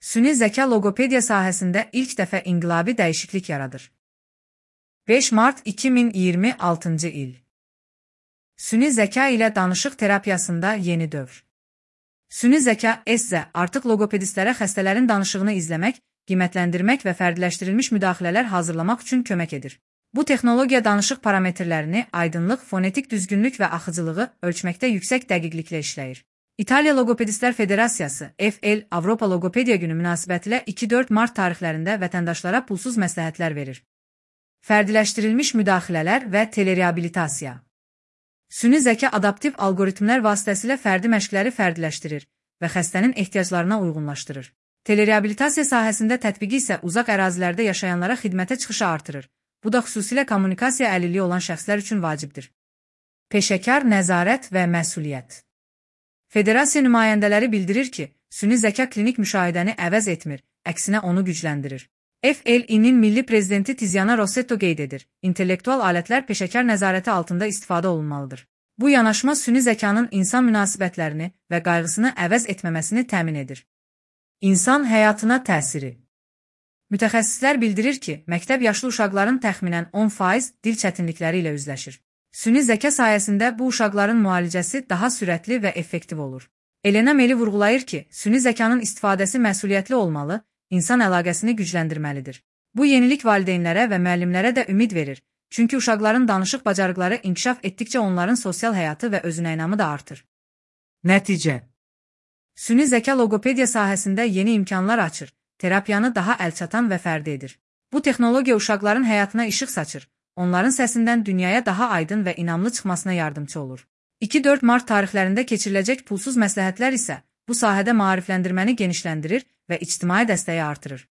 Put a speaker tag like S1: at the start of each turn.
S1: Süni zəka loqopediya sahəsində ilk dəfə inqilabi dəyişiklik yaradır. 5 mart 2026-cı il. Süni zəka ilə danışıq terapiyasında yeni dövr. Süni zəka (ESZA) artıq loqopedistlərə xəstələrin danışığını izləmək, qiymətləndirmək və fərdiləşdirilmiş müdaxilələr hazırlamaq üçün kömək edir. Bu texnologiya danışıq parametrlərini, aydınlıq, fonetik düzgünlük və axıcılığı ölçməkdə yüksək dəqiqliklə işləyir. İtaliya Loqopedistlər Federasiyası (FL) Avropa Loqopediya Günü münasibətilə 2-4 mart tarixlərində vətəndaşlara pulsuz məsləhətlər verir. Fərdiləşdirilmiş müdaxilələr və telereabilitasiya. Süni zəka adaptiv alqoritmlər vasitəsilə fərdi məşqləri fərdiləşdirir və xəstənin ehtiyaclarına uyğunlaşdırır. Telereabilitasiya sahəsində tətbiqi isə uzaq ərazilərdə yaşayanlara xidmətə çıxışı artırır. Bu da xüsusilə kommunikasiya əlilliyi olan şəxslər üçün vacibdir. Peşəkar nəzarət və məsuliyyət. Federasiya nümayəndələri bildirir ki, süni zəka klinik müşahidəni əvəz etmir, əksinə onu gücləndirir. FL-nin milli prezidenti Tiziana Rossetto qeyd edir, intellektual alətlər peşəkar nəzarəti altında istifadə olunmalıdır. Bu yanaşma süni zəkanın insan münasibətlərini və qayğısını əvəz etməməsini təmin edir. İnsan həyatına təsiri. Mütəxəssislər bildirir ki, məktəb yaşlı uşaqların təxminən 10% dil çətinlikləri ilə üzləşir. Süni zəka sayəsində bu uşaqların müalicəsi daha sürətli və effektiv olur. Elena Meli vurğulayır ki, süni zəkanın istifadəsi məsuliyyətli olmalı, insan əlaqəsini gücləndirməlidir. Bu yenilik valideynlərə və müəllimlərə də ümid verir, çünki uşaqların danışıq bacarıqları inkişaf etdikcə onların sosial həyatı və özünəynamı da artır. Nəticə. Süni zəka loqopediya sahəsində yeni imkanlar açır, terapiyanı daha əlçatan və fərdi edir. Bu texnologiya uşaqların həyatına işıq saçır, onların səsindən dünyaya daha aydın və inamlı çıxmasına yardımçı olur. 2-4 mart tarixlərində keçiriləcək pulsuz məsləhətlər isə bu sahədə maarifləndirməni genişləndirir və ictimai dəstəyi artırır.